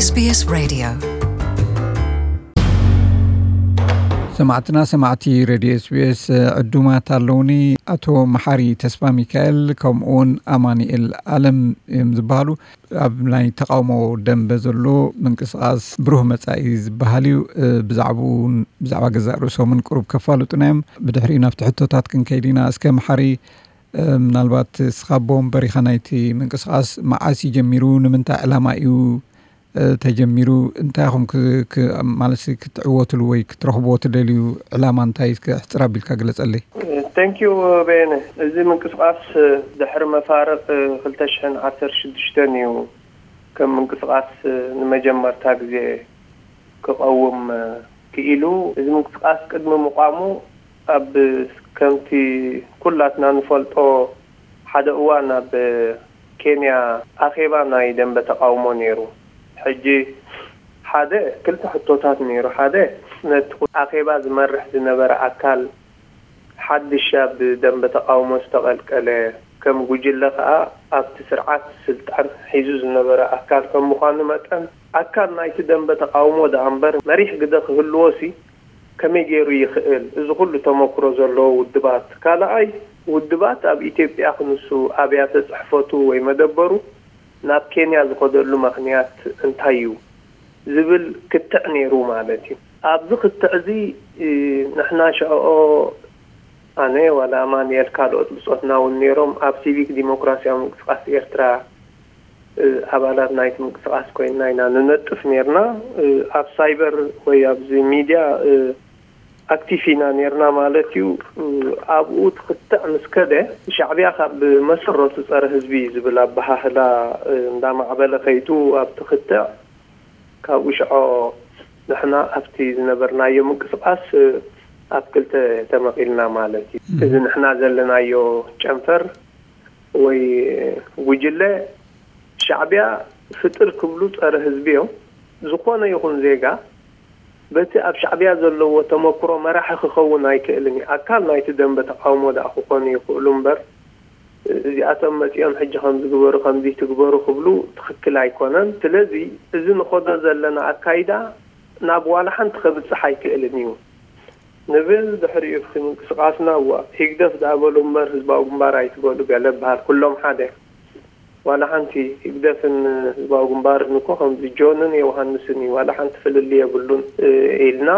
SBS Radio. ሰማዕትና ሰማዕቲ ሬድዮ ኤስቢኤስ ዕዱማት ኣለውኒ። ኣቶ መሓሪ ተስፋ ሚካኤል ከምኡውን ኣማኑኤል ኣለም እዮም ዝበሃሉ። ኣብ ናይ ተቃውሞ ደንበ ዘሎ ምንቅስቃስ ብሩህ መጻኢ ዝበሃል እዩ። ብዛዕባኡ እውን ብዛዕባ ገዛእ ርእሶምን ቅሩብ ከፋልጡና እዮም። ብድሕሪኡ ናብቲ ሕቶታት ክንከይድ ኢና። እስከ መሓሪ፣ ምናልባት እስኻ ኣቦ ወንበር ኢኻ ናይቲ ምንቅስቃስ፣ መዓስ እዩ ጀሚሩ? ንምንታይ ዕላማ እዩ ተጀሚሩ? እንታይ ኢኹም ማለት ክትዕወትሉ ወይ ክትረኽብዎ ትደልዩ ዕላማ እንታይ? እስከ ሕፅር ኣቢልካ ግለፀለይ። Thank you በየነ። እዚ ምንቅስቃስ ድሕሪ መፋርቅ ክልተ ሽሕን ዓሰርተ ሽዱሽተን እዩ ከም ምንቅስቃስ ንመጀመርታ ግዜ ክቐውም ክኢሉ። እዚ ምንቅስቃስ ቅድሚ ምቋሙ ኣብ ከምቲ ኩላትና ንፈልጦ ሓደ እዋን ኣብ ኬንያ ኣኼባ ናይ ደንበ ተቃውሞ ነይሩ። ሕጂ ሓደ ክልተ ሕቶታት ነይሩ። ሓደ ነቲ ኣኼባ ዝመርሕ ዝነበረ ኣካል ሓድሽ ኣብ ደንበ ተቃውሞ ዝተቐልቀለ ከም ጉጅለ ከኣ ኣብቲ ስርዓት ስልጣን ሒዙ ዝነበረ ኣካል ከም ምዃኑ መጠን ኣካል ናይቲ ደንበ ተቃውሞ ደኣ እምበር መሪሕ ግደ ክህልዎ ሲ ከመይ ገይሩ ይኽእል? እዚ ኩሉ ተመክሮ ዘለዎ ውድባት። ካልኣይ ውድባት ኣብ ኢትዮጵያ ክንሱ ኣብያተ ጽሕፈቱ ወይ መደበሩ ናብ ኬንያ ዝኸደሉ ምኽንያት እንታይ እዩ ዝብል ክትዕ ነይሩ ማለት እዩ። ኣብዚ ክትዕ እዚ ንሕና ሸዕኦ ኣነ ዋላ ኣማንኤል ካልኦት ብጾትና እውን ነይሮም ኣብ ሲቪክ ዲሞክራሲያዊ ምንቅስቃስ ኤርትራ ኣባላት ናይቲ ምንቅስቃስ ኮይንና ኢና ንነጥፍ ነይርና። ኣብ ሳይበር ወይ ኣብዚ ሚድያ ኣክቲቭ ኢና ነይርና ማለት እዩ። ኣብኡ ትክትዕ ምስ ከደ ሻዕብያ ካብ መሰረቱ ጸረ ህዝቢ ዝብል ኣበሃህላ እንዳማዕበለ ከይዱ ኣብቲ ክትዕ ካብኡ ሽዖ ንሕና ኣብቲ ዝነበርናዮ ምንቅስቃስ ኣብ ክልተ ተመቒልና ማለት እዩ። እዚ ንሕና ዘለናዮ ጨንፈር ወይ ጉጅለ ሻዕብያ ፍጥር ክብሉ ጸረ ህዝቢ እዮም። ዝኾነ ይኹን ዜጋ በቲ ኣብ ሻዕብያ ዘለዎ ተመክሮ መራሒ ክኸውን ኣይክእልን እዩ። ኣካል ናይቲ ደንበ ተቃውሞ ደኣ ክኾኑ ይኽእሉ እምበር እዚኣቶም መጺኦም ሕጂ ከምዚ ግበሩ ከምዚ ትግበሩ ክብሉ ትኽክል ኣይኮነን። ስለዚ እዚ ንኸዶ ዘለና ኣካይዳ ናብ ዋላ ሓንቲ ከብጽሕ ኣይክእልን እዩ ንብል። ድሕሪኡ እቲ ምንቅስቃስና እዋ ህግደፍ ደኣ በሉ እምበር ህዝባዊ ግንባር ኣይትበሉ ገለ በሃል ኩሎም ሓደ ዋላ ሓንቲ ህግደፍን ህዝባዊ ግንባርን እኮ ከምዚ ጆንን ዮውሃንስን እዩ ዋላ ሓንቲ ፍልልይ የብሉን ኢልና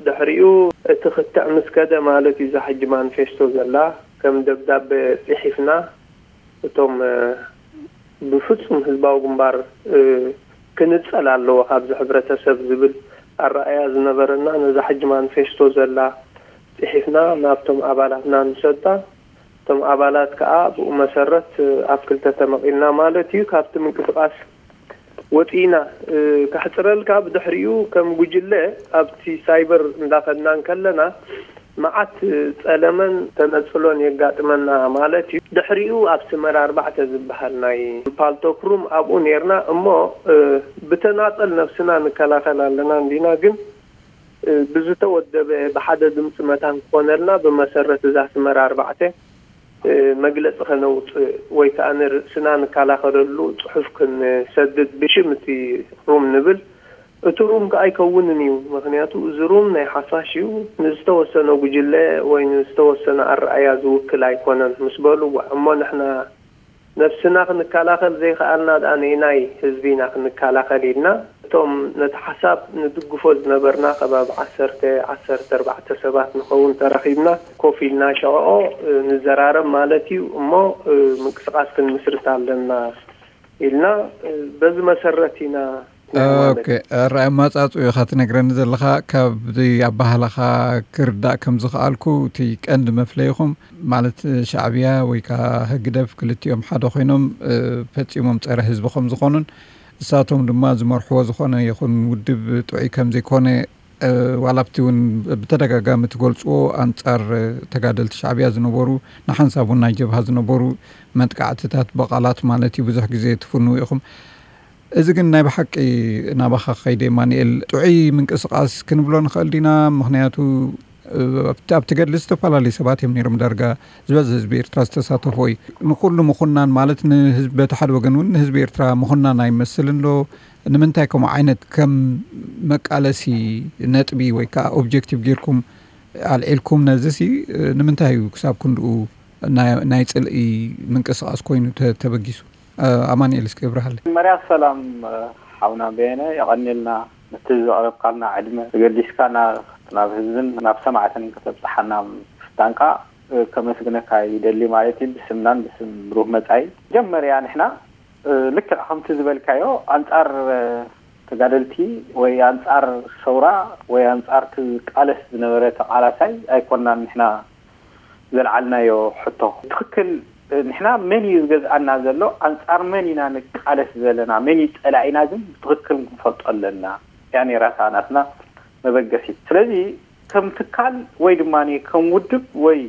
ድሕሪኡ እቲ ክትዕ ምስ ከደ ማለት እዩ እዛ ሕጂ ማኒፌስቶ ዘላ ከም ደብዳበ ጽሒፍና እቶም ብፍጹም ህዝባዊ ግንባር ክንጸል ኣለዎ ካብዚ ሕብረተሰብ ዝብል ኣረኣያ ዝነበረና ነዛ ሕጂ ማኒፌስቶ ዘላ ጽሒፍና ናብቶም ኣባላትና ንሰዳ። እቶም ኣባላት ከኣ ብኡ መሰረት ኣብ ክልተ ተመቒልና ማለት እዩ። ካብቲ ምንቅስቃስ ወጺእና። ከሕጽረልካ ብድሕሪኡ ከም ጉጅለ ኣብቲ ሳይበር እንዳኸድና እንከለና መዓት ጸለመን ተነጽሎን የጋጥመና ማለት እዩ። ድሕሪኡ ኣብ ስመራ ኣርባዕተ ዝበሃል ናይ ፓልቶክ ሩም ኣብኡ ኔርና እሞ ብተናጸል ነብስና ንከላኸል ኣለና እንዲና ግን ብዝተወደበ ብሓደ ድምፂ መታን ክኾነልና ብመሰረት እዛ ስመራ ኣርባዕተ መግለፂ ከነውፅእ ወይ ከዓ ንርእስና ንከላኸለሉ ፅሑፍ ክንሰድድ ብሽም እቲ ሩም ንብል። እቲ ሩም ከዓ ኣይከውንን እዩ። ምክንያቱ እዚ ሩም ናይ ሓፋሽ እዩ። ንዝተወሰነ ጉጅለ ወይ ንዝተወሰነ ኣረኣያ ዝውክል ኣይኮነን ምስ በሉ እሞ ንሕና ነብስና ክንከላኸል ዘይከኣልና ደኣ ነይናይ ህዝቢ ኢና ክንከላኸል ኢልና እቶም ነቲ ሓሳብ ንድግፎ ዝነበርና ከባቢ ዓሰርተ ዓሰርተ ኣርባዕተ ሰባት ንኸውን ተራኺብና ኮፍ ኢልና ሸቕኦ ንዘራረብ ማለት እዩ እሞ ምንቅስቃስ ክንምስርት ኣለና ኢልና በዚ መሰረት ኢና ኦኬ። ራእይ ማጻጹ ኢኻ ትነግረኒ ዘለኻ። ካብዚ ኣባህላኻ ክርዳእ ከም ዝኸኣልኩ እቲ ቀንዲ መፍለይኹም ማለት ሻዕብያ ወይ ከዓ ህግደፍ ክልቲኦም ሓደ ኮይኖም ፈጺሞም ጸረ ህዝቢ ከም ዝኾኑን እሳቶም ድማ ዝመርሕዎ ዝኾነ ይኹን ውድብ ጥዑይ ከም ዘይኮነ ዋላ ኣብቲ እውን ብተደጋጋሚ ትገልፅዎ ኣንፃር ተጋደልቲ ሻዕብያ ዝነበሩ ንሓንሳብ እውን ናይ ጀብሃ ዝነበሩ መጥቃዕትታት ብቓላት ማለት እዩ ብዙሕ ግዜ ትፍንው ኢኹም። እዚ ግን ናይ ብሓቂ ናባኻ ክኸይደ ማንኤል ጥዑይ ምንቅስቃስ ክንብሎ ንኽእል ዲና? ምክንያቱ ኣብቲ ገድሊ ዝተፈላለዩ ሰባት እዮም ነይሮም። ዳርጋ ዝበዝሕ ህዝቢ ኤርትራ ዝተሳተፎ እዩ። ንኩሉ ምኹናን ማለት ንህዝቢ፣ በቲ ሓደ ወገን እውን ንህዝቢ ኤርትራ ምኹናን ኣይመስልን ዶ? ንምንታይ ከምኡ ዓይነት ከም መቃለሲ ነጥቢ ወይ ከዓ ኦብጀክቲቭ ጌርኩም ኣልዒልኩም? ነዚ ሲ ንምንታይ እዩ ክሳብ ክንድኡ ናይ ጽልኢ ምንቅስቃስ ኮይኑ ተበጊሱ? ኣማንኤል እስኪ እብርሃለይ። መርያ ሰላም፣ ሓውና በየነ፣ የቐንየልና ነቲ ዘቕረብካልና ዕድመ ተገዲስካ ናብ ህዝብን ናብ ሰማዕትን ከተብፅሓና ምፍታንካ ከመስግነካ ይደሊ ማለት እዩ፣ ብስምናን ብስም ብሩህ መፃኢ። መጀመርያ ንሕና ልክዕ ከምቲ ዝበልካዮ ኣንፃር ተጋደልቲ ወይ ኣንፃር ሰውራ ወይ ኣንፃር ቃለስ ዝነበረ ተቃላሳይ ኣይኮናን ንሕና ዘልዓልናዮ ሕቶ። ትክክል፣ ንሕና መን እዩ ዝገዝኣና ዘሎ፣ ኣንፃር መን ኢና ንቃለስ ዘለና፣ መን እዩ ፀላኢና ግን ብትክክል ክንፈልጦ ኣለና። ያ ነይራታ ናትና መበገሲት። ስለዚ ከም ትካል ወይ ድማ ከም ውድብ ወይ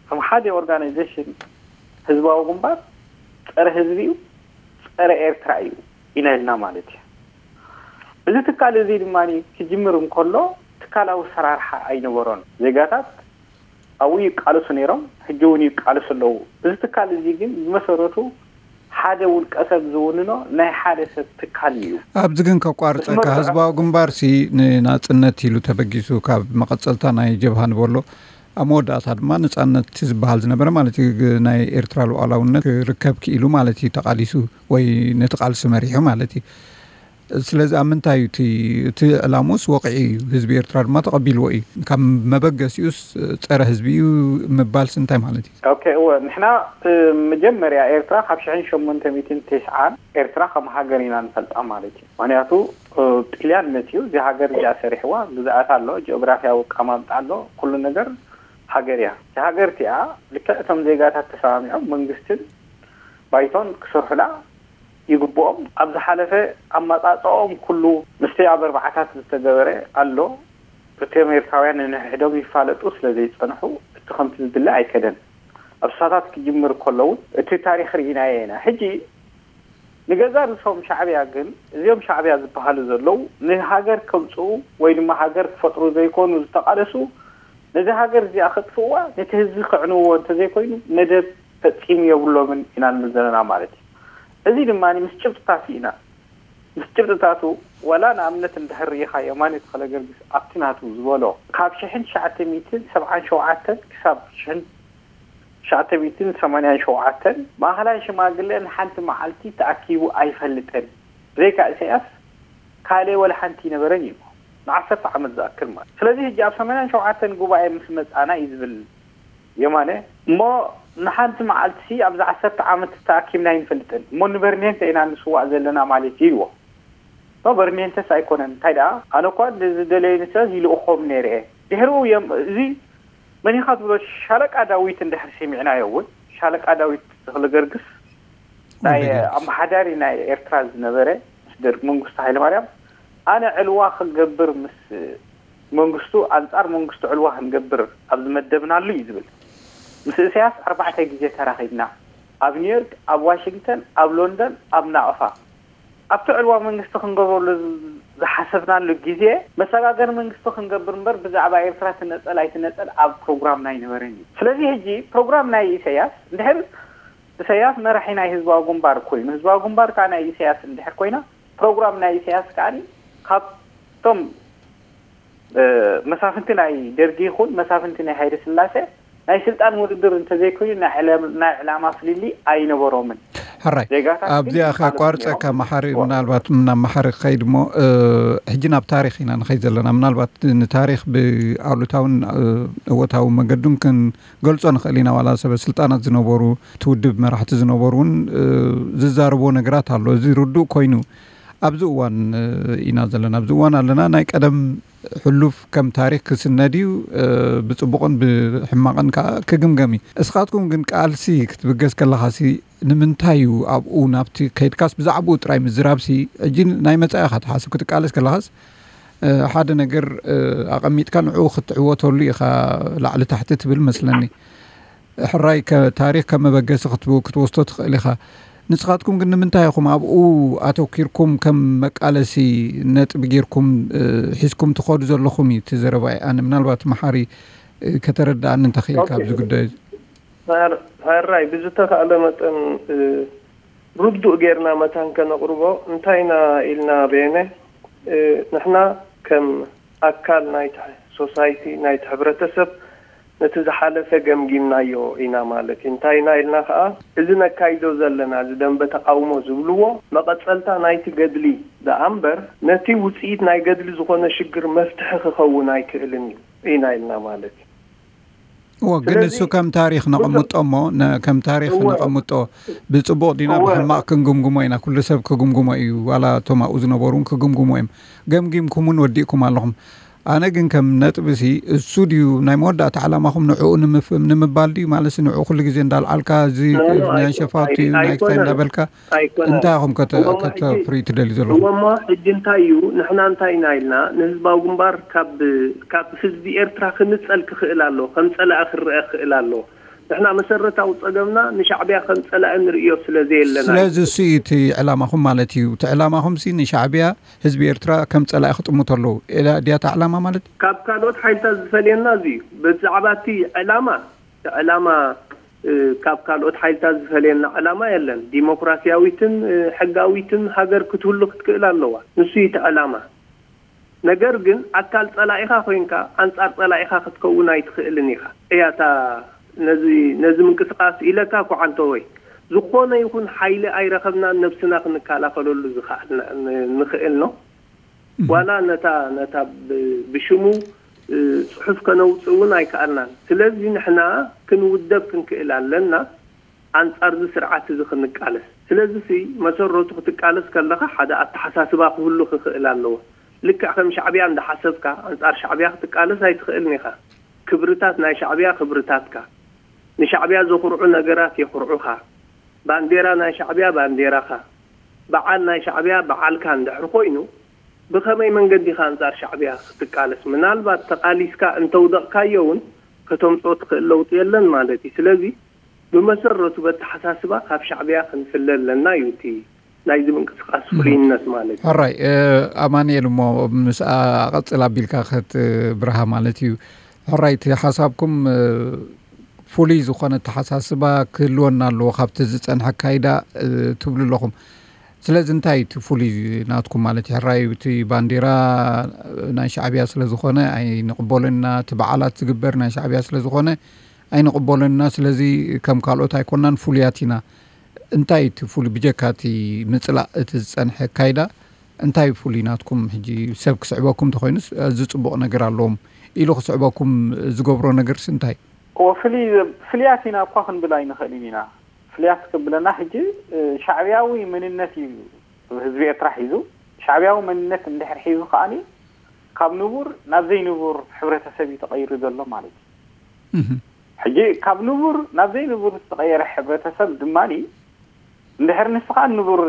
ከም ሓደ ኦርጋናይዜሽን ህዝባዊ ግንባር ፀረ ህዝቢ እዩ፣ ፀረ ኤርትራ እዩ ኢና ኢልና ማለት እዩ። እዚ ትካል እዚ ድማ ክጅምር እንከሎ ትካላዊ ሰራርሓ ኣይነበሮን። ዜጋታት ኣብኡ ይቃለሱ ነይሮም፣ ሕጂ እውን ይቃለሱ ኣለዉ። እዚ ትካል እዚ ግን ብመሰረቱ ሓደ ውልቀ ሰብ ዝውንኖ ናይ ሓደ ሰብ ትካል እዩ። ኣብዚ ግን ከቋርፀካ፣ ህዝባዊ ግንባር ሲ ንናፅነት ኢሉ ተበጊሱ ካብ መቐፀልታ ናይ ጀብሃ ንበሎ ኣብ መወዳእታ ድማ ነፃነት ዝበሃል ዝነበረ ማለት እዩ፣ ናይ ኤርትራ ሉዓላውነት ክርከብ ክኢሉ ማለት እዩ፣ ተቃሊሱ ወይ ነቲ ቃልሲ መሪሑ ማለት እዩ። ስለዚ ኣብ ምንታይ እዩ እቲ ዕላሙስ ወቂዒ እዩ፣ ህዝቢ ኤርትራ ድማ ተቐቢልዎ እዩ። ካብ መበገሲኡስ ፀረ ህዝቢ እዩ ምባልስ እንታይ ማለት እዩ? ኦኬ፣ እወ፣ ንሕና መጀመርያ ኤርትራ ካብ ሽሕን ሸሞንተ ሚእትን ተስዓን ኤርትራ ከም ሃገር ኢና ንፈልጣ ማለት እዩ። ምክንያቱ ጥልያን መፅዩ እዚ ሃገር እዚኣ ሰሪሕዋ፣ ግዝኣት ኣሎ፣ ጂኦግራፊያዊ ኣቀማምጣ ኣሎ፣ ኩሉ ነገር ሃገር እያ። እዛ ሃገር እቲኣ ልክዕ እቶም ዜጋታት ተሰማሚዖም መንግስትን ባይቶን ክሰርሑላ ይግብኦም። ኣብ ዝሓለፈ ኣመጻጽኦም ኩሉ ምስቲ ኣብ ኣርባዓታት ዝተገበረ ኣሎ። እቶም ኤርትራውያን ንንሕድሕዶም ይፋለጡ ስለ ዘይጸንሑ እቲ ከምቲ ዝድለ ኣይከደን። ኣብ ስሳታት ክጅምር ከሎ እውን እቲ ታሪኽ ርኢናዮ ኢና። ሕጂ ንገዛ ርእሶም ሻዕብያ ግን እዚኦም ሻዕብያ ዝበሃሉ ዘለዉ ንሃገር ከምጽኡ ወይ ድማ ሃገር ክፈጥሩ ዘይኮኑ ዝተቓለሱ፣ ነዚ ሃገር እዚኣ ከጥፍእዋ ነቲ ህዝቢ ክዕንውዎ እንተዘይኮይኑ መደብ ፈጺሙ የብሎምን ኢና ንብል ዘለና ማለት እዩ። እዚ ድማ ምስ ጭብጥታት ኢና ምስ ጭብጥታቱ ዋላ ንኣብነት እንድሕር ርኢኻ የማነ ተኽለ ገርግስ ኣብቲ ናቱ ዝበሎ ካብ ሽሕን ትሽዓተ ሚእትን ሰብዓን ሸውዓተን ክሳብ ሽሕን ትሽዓተ ሚእትን ሰማንያን ሸውዓተን ማእኸላይ ሽማግለ ንሓንቲ መዓልቲ ተኣኪቡ ኣይፈልጥን፣ ብዘይካ ኢሳያስ ካልእ ወላ ሓንቲ ይነበረን እዩ ንዓሰርተ ዓመት ዝኣክል ማለት። ስለዚ ሕጂ ኣብ ሰማንያን ሸውዓተን ጉባኤ ምስ መጻና እዩ ዝብል የማነ። እሞ ንሓንቲ መዓልቲ ኣብዛ ዓሰርተ ዓመት ተኣኪብና ኣይንፈልጥን እሞ ንበርኔንተ ኢና ንስዋእ ዘለና ማለት እዩ ኢልዎ። እሞ በርኔንተስ ኣይኮነን እንታይ ደኣ ኣነ እኳ ዝደለየኒ ሰብ ይልእኾም ነይረ እየ። ድሕሪኡ እዮም እዚ መን ኢኻ ትብሎ ሻለቃ ዳዊት እንድሕር ሰሚዕናዮ እውን ሻለቃ ዳዊት ተኽለ ገርግስ ናይ ኣመሓዳሪ ናይ ኤርትራ ዝነበረ ምስ ደርግ መንግስቱ ሃይለማርያም ኣነ ዕልዋ ክንገብር ምስ መንግስቱ ኣንጻር መንግስቱ ዕልዋ ክንገብር ኣብ ዝመደብናሉ እዩ ዝብል። ምስ እሰያስ ኣርባዕተ ግዜ ተራኺብና ኣብ ኒውዮርክ ኣብ ዋሽንግተን ኣብ ሎንደን ኣብ ናቕፋ ኣብቲ ዕልዋ መንግስቲ ክንገብረሉ ዝሓሰብናሉ ግዜ መሰጋገሪ መንግስቲ ክንገብር እምበር ብዛዕባ ኤርትራ ትነጸል ኣይትነጸል ኣብ ፕሮግራምና ኣይነበረን እዩ። ስለዚ ሕጂ ፕሮግራም ናይ ኢሰያስ እንድሕር ኢሰያስ መራሒ ናይ ህዝባዊ ግንባር ኮይኑ ህዝባዊ ግንባር ከዓ ናይ ኢሰያስ እንድሕር ኮይና ፕሮግራም ናይ ኢሰያስ ከዓ ካብቶም መሳፍንቲ ናይ ደርጊ ይኹን መሳፍንቲ ናይ ሃይለ ስላሴ ናይ ስልጣን ውድድር እንተዘይኮይኑ ናይ ዕላማ ፍልልይ ኣይነበሮምን። ሕራይ ኣብዚኣ ከቋርፀካ መሓሪ ምናልባት ናብ መሓሪ ክኸይድ እሞ ሕጂ ናብ ታሪክ ኢና ንኸይድ ዘለና ምናልባት ንታሪክ ብኣሉታውን እወታዊ መገዱን ክንገልፆ ንኽእል ኢና ዋላ ሰበ ስልጣናት ዝነበሩ እቲ ውድብ መራሕቲ ዝነበሩ እውን ዝዛረብዎ ነገራት ኣሎ እዚ ርዱእ ኮይኑ ኣብዚ እዋን ኢና ዘለና ኣብዚ እዋን ኣለና ናይ ቀደም ሕሉፍ ከም ታሪክ ክስነድ እዩ ብፅቡቕን ብሕማቕን ከዓ ክግምገም እዩ እስኻትኩም ግን ቃልሲ ክትብገስ ከለኻሲ ንምንታይ እዩ ኣብኡ ናብቲ ከይድካስ ብዛዕባኡ ጥራይ ምዝራብሲ ሕጂ ናይ መፃኢኻ ትሓስብ ክትቃለስ ከለኻስ ሓደ ነገር ኣቐሚጥካ ንዕኡ ክትዕወተሉ ኢኻ ላዕሊ ታሕቲ ትብል መስለኒ ሕራይ ታሪክ ከም መበገሲ ክትወስዶ ትኽእል ኢኻ ንስኻትኩም ግን ንምንታይ ኢኹም ኣብኡ ኣተኪርኩም ከም መቃለሲ ነጥቢ ጌርኩም ሒዝኩም ትኸዱ ዘለኹም እዩ እቲ ዘረባይ ኣነ ምናልባት መሓሪ እ፣ ከተረድኣኒ እንተኽኢልካ ኦኬ። ኣብዚ ጉዳይ እዚ። ሕራይ፣ ብዝተኻእለ መጠን፣ እ፣ ርዱእ ጌርና መታን ከነቕርቦ፣ እንታይ ኢና ኢልና በየነ፣ እ፣ ንሕና ከም ኣካል ናይቲ ሶሳይቲ፣ ናይቲ ሕብረተሰብ፣ ነቲ ዝሓለፈ ገምጊምናዮ ኢና ማለት እዩ። እንታይ ኢና ኢልና ከኣ፣ እዚ ነካይዶ ዘለና፣ እዚ ደንበ ተቓውሞ ዝብልዎ፣ መቐጸልታ ናይቲ ገድሊ ደኣ እምበር፣ ነቲ ውጽኢት ናይ ገድሊ ዝኾነ ሽግር መፍትሒ ክኸውን ኣይክእልን እዩ ኢና ኢልና ማለት እዩ። እዎ፣ ግን ስለዚ እሱ ከም ታሪኽ ነቐምጦ እሞ፣ ነ-፣ ከም ታሪኽ እወ። ነቐምጦ፣ ብጽቡቕ ዲና እወ። ብሕማቕ ክንግምግሞ ኢና። ኩሉ ሰብ ክግምግሞ እዩ፣ ዋላ እቶም ኣብኡ ዝነበሩ እውን ክግምግሞ እዮም። ገምጊምኩም እውን ወዲእኩም ኣለኹም። ኣነ ግን ከም ነጥቢ ሲ፣ እሱ ድዩ ናይ መወዳእታ ዕላማኹም፣ ንዕኡ ንምፍ-፣ ንምባል ድዩ? ማለት ንዕኡ ኩሉ ግዜ እንዳልዓልካ፣ እዚ ኖ፣ ኖ፣ ናይ ኣይኮ-፣ ሸፋቱ ኣይ-፣ እዩ፣ ናይ ክሳይ ኣይኮነን። እንዳበልካ፣ ኣይኮነን። እንታይ ኢኹም ከተ-፣ እሞ ሕጂ ከተፍርዩ ትደልዩ ዘለኹም? እሞ ሕጂ እንታይ እዩ? ንሕና እንታይ ኢና ኢልና? ንህዝባዊ ግንባር ካብ፣ ካብ ህዝቢ ኤርትራ ክንጸል ክኽእል ኣሎ፣ ከም ጸላኢ ክረአ ክኽእል ኣሎ። ንሕና መሰረታዊ ጸገምና ንሻዕብያ ከም ጸላኢ ንርእዮ ስለ ዘየለና እዩ። ስለዚ እሱ እዩ እቲ ዕላማኹም ማለት እዩ። እቲ ዕላማኹም ሲ ንሻዕብያ ህዝቢ ኤርትራ ከም ጸላኢ ክጥምቶ ኣለዉ። ኤላ ድያ እታ ዕላማ ማለት? ካብ ካልኦት ሓይልታት ዝፈልየና እዚ እዩ። ብዛዕባ እቲ ዕላማ፣ እቲ ዕላማ፣ እ፣ ካብ ካልኦት ሓይልታት ዝፈልየና ዕላማ የለን። ዲሞክራሲያዊትን፣ እ፣ ሕጋዊትን ሃገር ክትህሉ ክትክእል ኣለዋ። ንሱ እዩ እቲ ዕላማ። ነገር ግን ኣካል ጸላኢኻ ኮይንካ ኣንጻር ጸላኢኻ ክትከውን ኣይትኽእልን ኢኻ። እያ እታ ነዚ፣ ነዚ ምንቅስቃስ ኢለካ እኮ ዓንተወይ። ዝኾነ ይኹን ሓይሊ ኣይረኸብናን ነብስና ክንከላኸለሉ ዝኸኣልና፣ ን-፣ ንኽእል ነው። እህ። ዋላ ነታ፣ ነታ ብ-፣ ብሽሙ፣ እ፣ ጽሑፍ ከነውጽእ እውን ኣይከኣልናን። ስለዚ ንሕና ክንውደብ ክንክእል ኣለና። ኣንጻር እዚ ስርዓት እዚ ክንቃለስ። ስለዚ ሲ መሰረቱ ክትቃለስ ከለኻ ሓደ ኣተሓሳስባ ክህሉ ክኽእል ኣለዎ። ልክዕ ከም ሻዕብያ እንዳሓሰብካ ኣንጻር ሻዕብያ ክትቃለስ ኣይትኽእልን ኢኻ። ክብርታት ናይ ሻዕብያ ክብርታትካ፣ ንሻዕብያ ዘኹርዑ ነገራት የኹርዑኻ። ባንዴራ ናይ ሻዕብያ ባንዴራኻ፣ በዓል ናይ ሻዕብያ በዓልካ እንድሕር ኮይኑ፣ ብኸመይ መንገዲ ኢኻ ኣንጻር ሻዕብያ ክትቃለስ? ምናልባት ተቓሊስካ እንተውደቕካዮ እውን ከተምጽኦ ትኽእል ለውጢ የለን ማለት እዩ። ስለዚ ብመሰረቱ በተሓሳስባ ካብ ሻዕብያ ክንፍለ ኣለና እዩ እቲ ናይዚ ምንቅስቃስ እህ። ፍሉይነት ማለት እዩ። ሕራይ፣ እ፣ ኣማኑኤል እሞ ምስ ኣ-፣ ኣቐጽል ኣቢልካ ክትብርሃ ማለት እዩ። ሕራይ፣ እቲ ሓሳብኩም፣ እ፣ ፍሉይ ዝኾነ ኣተሓሳስባ ክህልወና ኣለዎ ካብቲ ዝጸንሐ ኣካይዳ፣ እ፣ ትብሉ ኣለኹም። ስለዚ እንታይ እቲ ፍሉይ ናትኩም ማለት እዩ? ሕራይ፣ እቲ ባንዴራ ናይ ሻዕብያ ስለ ዝኾነ ኣይንቕበሎን ኢና፣ እቲ በዓላት ዝግበር ናይ ሻዕብያ ስለ ዝኾነ ኣይንቕበሎን ኢና። ስለዚ ከም ካልኦት ኣይኮናን፣ ፍሉያት ኢና። እንታይ እቲ ፍሉይ፣ ብጀካ እቲ ምጽላእ እቲ ዝጸንሐ ኣካይዳ፣ እንታይ ፍሉይ ናትኩም? ሕጂ ሰብ ክስዕበኩም እንተኾይኑስ፣ እዚ ጽቡቕ ነገር ኣለዎም ኢሉ ክስዕበኩም ዝገብሮ ነገርስ እንታይ? እወ፣ ፍልይ-፣ ፍልያት ኢና እኳ ክንብል ኣይንኽእልን ኢና። ፍልያት ክብለና ሕጂ፣ እ፣ ሻዕብያዊ መንነት እዩ ህዝቢ ኤርትራ ሒዙ። ሻዕብያዊ መንነት እንድሕር ሒዙ ከኣኒ፣ ካብ ንቡር ናብ ዘይንቡር ሕብረተሰብ እዩ ተቐይሩ ዘሎ ማለት እዩ። እህ። ሕጂ ካብ ንቡር ናብ ዘይንቡር ዝተቐየረ ሕብረተሰብ ድማኒ፣ እንድሕር ንስኻ ንቡር፣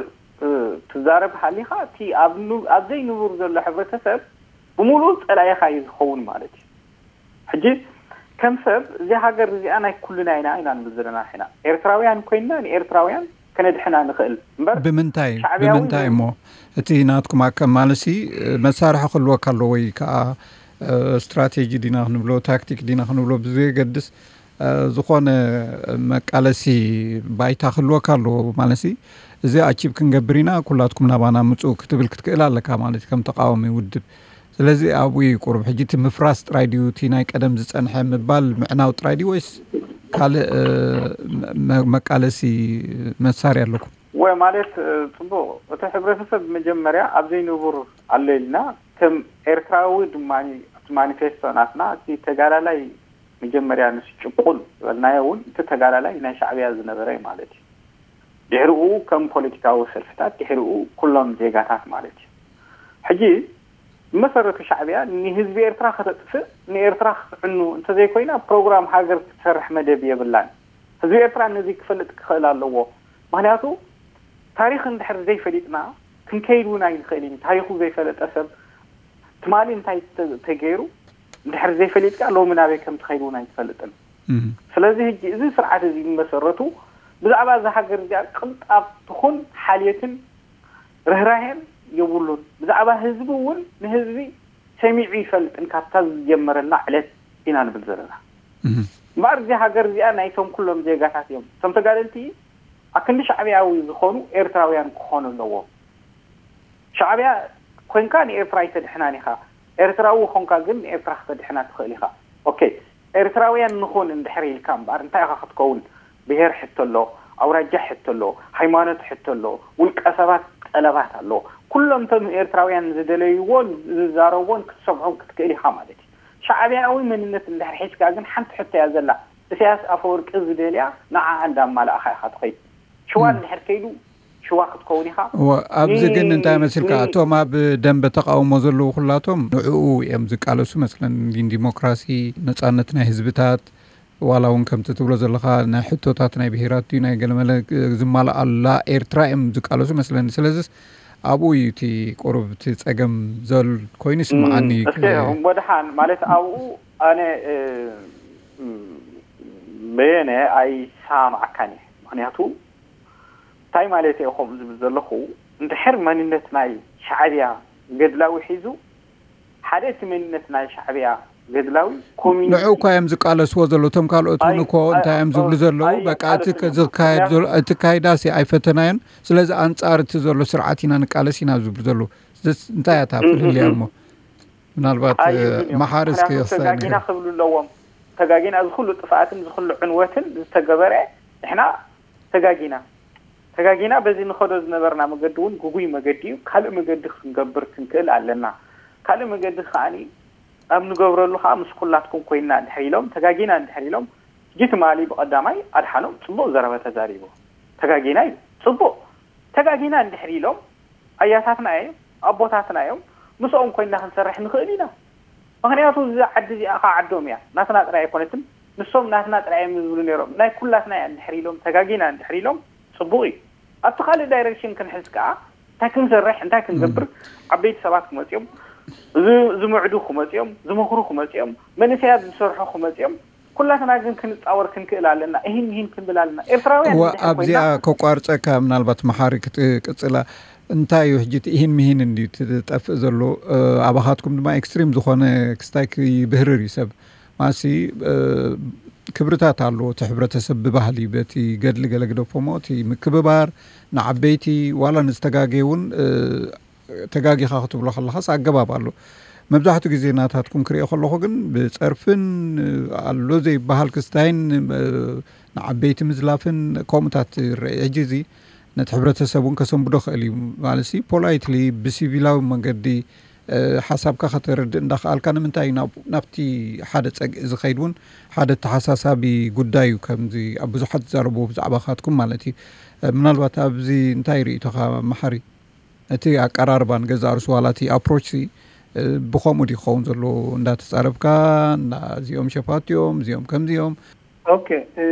እ፣ ትዛረብ ሃሊኻ፣ እቲ ኣብ ኑ-፣ ኣብ ዘይንቡር ዘሎ ሕብረተሰብ ብምሉኡ ጸላኢኻ እዩ ዝኸውን ማለት እዩ። ሕጂ ከም ሰብ፣ እዚ ሃገር እዚኣ ናይ ኩልና ኢና፣ ኢና ንብል ዘለና ሕና። ኤርትራውያን ኮይንና ንኤርትራውያን ከነድሕና ንኽእል እምበር፣ ብምንታይ፣ ሻዕብያዊ ብምንታይ እሞ? እቲ ናትኩም ኣከ-፣ ማለሲ፣ መሳርሒ ክህልወካ ኣለዎ ወይ ከኣ፣ እ፣ ስትራቴጂ ዲና ክንብሎ፣ ታክቲክ ዲና ክንብሎ ብዘየገድስ፣ እ፣ ዝኾነ መቃለሲ ባይታ ክህልወካ ኣለዎ። ማለሲ፣ እዚ ኣቺቭ ክንገብር ኢና፣ ኩላትኩም ናባና ምጹ ክትብል ክትክእል ኣለካ ማለት እዩ፣ ከም ተቃዋሚ ውድብ። ስለዚ ኣብኡ እዩ ቁሩብ። ሕጂ እቲ ምፍራስ ጥራይ ድዩ እቲ ናይ ቀደም ዝጸንሐ ምባል ምዕናው ጥራይ ድዩ ወይስ ካልእ፣ እ፣ መ-፣ መቃለሲ መሳርያ ኣለኩም? ወይ ማለት፣ እ፣ ጽቡቕ፣ እቲ ሕብረተሰብ መጀመርያ ኣብ ዘይንቡር ኣሎ ኢልና፣ ከም ኤርትራዊ ድማ ኣብቲ ማኒፌስቶ ናትና እቲ ተጋዳላይ መጀመርያ ንሱ ጭቁን ዝበልናዮ እውን እቲ ተጋዳላይ ናይ ሻዕብያ ዝነበረ እዩ ማለት እዩ። ድሕሪኡ ከም ፖለቲካዊ ሰልፍታት፣ ድሕሪኡ ኩሎም ዜጋታት ማለት እዩ። ሕጂ ብመሰረቱ ሻዕብያ ንህዝቢ ኤርትራ ከተጥፍእ፣ ንኤርትራ ክትዕኑ እንተዘይኮይና፣ ፕሮግራም ሃገር ክትሰርሕ መደብ የብላን። ህዝቢ ኤርትራ ነዚ ክፈልጥ ክኽእል ኣለዎ። ምኽንያቱ ታሪኽ እንድሕር ዘይፈሊጥና ክንከይድ እውን ኣይንኽእልን። ታሪኹ ዘይፈለጠ ሰብ ትማሊ እንታይ ተ-፣ ተገይሩ እንድሕር ዘይፈሊጥካ ሎሚ ናበይ ከም ትኸይድ እውን ኣይትፈልጥን። እም። ስለዚ ሕጂ እዚ ስርዓት እዚ መሰረቱ ብዛዕባ እዛ ሃገር እዚኣ ቅንጣብ ትኹን ሓልየትን ርህራሄን የብሉን። ብዛዕባ ህዝቢ እውን ንህዝቢ ሰሚዑ ይፈልጥን ካብታ ዝጀመረላ ዕለት ኢና ንብል ዘለና። እምበኣር እዚ ሃገር እዚኣ ናይቶም ኩሎም ዜጋታት እዮም። እቶም ተጋደልቲ ኣክንዲ ሻዕብያዊ ዝኾኑ ኤርትራውያን ክኾኑ ኣለዎም። ሻዕብያ ኮይንካ ንኤርትራ ኣይተድሕናን ኢኻ። ኤርትራዊ ኾንካ ግን ንኤርትራ ክተድሕና ትኽእል ኢኻ። ኦኬ፣ ኤርትራውያን ንኹን እንድሕር ኢልካ እምበኣር እንታይ ኢኻ ክትከውን? ብሄር ሕቶ ኣሎ፣ ኣውራጃ ሕቶ ኣሎ፣ ሃይማኖት ሕቶ ኣሎ፣ ውልቀ ሰባት ጠለባት ኣሎ። ኩሎም እቶም ኤርትራውያን ዝደለይዎን ዝዛረብዎን ክትሰምዖም ክትክእል ኢኻ ማለት እዩ። ሻዕብያዊ መንነት እንድሕር ሒዝካ ግን ሓንቲ ሕቶ እያ ዘላ። ኢሳያስ ኣፈወርቂ ዝደልያ ንዓኣ እንዳማላእኻ ኢኻ ትኸይድ። ሽዋ እንድሕር ከይዱ ሽዋ ክትከውን ኢኻ። እወ፣ ኣብዚ ግን ን-፣ እንታይ መሲልካ? ን-፣ እቶም ኣብ ደንበ ተቃውሞ ዘለዉ ኩላቶም ንዕኡ እዮም ዝቃለሱ መስለን። ግን ዲሞክራሲ፣ ነጻነት ናይ ህዝብታት፣ ዋላ እውን ከምቲ ትብሎ ዘለኻ ናይ ሕቶታት ናይ ብሄራት ድዩ ናይ ገለመለ ዝማልኣላ ኤርትራ እዮም ዝቃለሱ መስለኒ። ስለዚስ ኣብኡ እዩ እቲ ቁሩብ እቲ ጸገም ዘል ኮይኑ ይስምዓኒ። እም፣ እስከ እምቦ ደሓን ማለት ኣብኡ ኣነ፣ እ፣ እም፣ በየነ ኣይሰማማዓካን እየ። ምኽንያቱ እንታይ ማለት እየ ከምኡ ዝብል ዘለኹ፣ እንድሕር መንነት ናይ ሻዕብያ ገድላዊ ሒዙ፣ ሓደ እቲ መንነት ናይ ሻዕብያ ገድላዊ ኮሚኒስት ንዑ እኳ እዮም ዝቃለስዎ ዘለዉ። እቶም ካልኦት እውን ኣይ-፣ እኮ እንታይ እዮም ዝብሉ ዘለዉ? ኣይ-፣ በቃ እቲ ኣይደግፍን። ዝካየድ ዘሎ፣ እቲ ካይዳሲ ኣይፈተናዮን። ስለዚ ኣንጻር እቲ ዘሎ ስርዓት ኢና ንቃለስ ኢና ዝብሉ ዘለዉ። ዘስ-፣ እንታይ እያ እታ እም፣ እም፣ ፍልልያ እም። እሞ? ምናልባት፣ ኣይብሉን እዮም። መሓሪ እስከ ምኽንያቱ የኽስታ ተጋጊና ይንገር። ክብሉ ኣለዎም። ተጋጊና እዚ ኩሉ ጥፍኣትን እዚ ኩሉ ዕንወትን ዝተገበረ ንሕና ተጋጊና። ተጋጊና በዚ ንኸዶ ዝነበርና መገዲ እውን ግጉይ መገዲ እዩ። ካልእ መገዲ ክንገብር ክንክእል ኣለና። ካልእ መገዲ ከዓኒ ኣብ ንገብረሉ ከዓ ምስ ኩላትኩም ኮይንና እንድሕር ኢሎም፣ ተጋጊና እንድሕር ኢሎም፣ ሕጂ ትማሊ ብቐዳማይ ኣድሓኖም ጽቡቕ ዘረባ ተዛሪቡ። ተጋጊና እዩ። ጽቡቕ። ተጋጊና እንድሕር ኢሎም፣ ኣያታትና እዮም፣ ኣቦታትና እዮም፣ ምስኦም ኮይንና ክንሰርሕ ንኽእል ኢና። ምኽንያቱ እዛ ዓዲ እዚኣ ከዓ ዓዶም እያ። ናትና ጥራይ ኣይኮነትን። ንሶም ናትና ጥራይ እዮም ዝብሉ ነይሮም። ናይ ኩላትና እያ እንድሕር ኢሎም፣ ተጋጊና እንድሕር ኢሎም፣ ጽቡቕ እዩ። ኣብቲ ካልእ ዳይሬክሽን ክንሕዝ ከዓ እንታይ ክንሰርሕ፣ እንታይ ክንገብር፣ እም። ዓበይቲ ሰባት ክመጽኦም፣ ዝ-፣ ዝምዕዱ ክመጽኦም፣ ዝመኽሩ ክመጽኦም፣ መንእሰያት ዝሰርሑ ክመጽኦም፣ ኩላትና ግን ክንጻወር ክንክእል ኣለና። እሂን ምሂን ክንብል ኣለና። ኤርትራውያን እወ፣ እንድሕር ኣብዚኣ ኮይና ከቋርጸካ፣ ምናልባት መሓሪ ክትቅጽላ፣ እንታይ እዩ ሕጂ እቲ እሂን ምሂን እንድዩ ትጠፍእ ዘሎ? እ፣ ኣባኻትኩም ድማ ኤክስትሪም ዝኾነ ክስታይ ክይብህርር እዩ ሰብ። ማሲ፣ እ፣ ክብርታት ኣለዎ እቲ ሕብረተሰብ ብባህሊ፣ በቲ ገድሊ ገለ ግደፎሞ፣ እቲ ምክብባር ንዓበይቲ፣ ዋላ ንዝተጋገየ እውን፣ እ፣ ተጋጊኻ ክትብሎ ከለኻስ ኣገባብ ኣሎ። መብዛሕትኡ ግዜ ናታትኩም ክሪኦ ከለኹ ግን ብጸርፍን ኣሎ ዘይበሃል ክስታይን፣ እ፣ ንዓበይቲ ምዝላፍን ከምኡታት ይረአ። ሕጂ እዚ ነቲ ሕብረተሰብ እውን ከሰንብዶ ክእል እዩ። ማለትሲ ፖላይትሊ ብሲቪላዊ መንገዲ፣ እ፣ ሓሳብካ ከተረድእ እንዳኸኣልካ ንምንታይ እዩ ናብ-፣ ናብቲ ሓደ ጸግዒ ዝኸይድ እውን ሓደ ተሓሳሳቢ ጉዳይ እዩ። ከምዚ ኣብ ብዙሓት ዝዛረብዎ ብዛዕባኻትኩም ማለት እዩ። እ፣ ምናልባት ኣብዚ እንታይ ርእይቶኻ መሓሪ? እቲ ኣቀራርባ ንገዛእ ርእሱ ዋላ እቲ ኣፕሮች ሲ፣ እ፣ ብኸምኡ ድዩ ክኸውን ዘለዎ? እንዳተጻረፍካ፣ እና እዚኦም ሸፋት እዮም፣ እዚኦም ከምዚ እዮም። ኦኬ፣ እ፣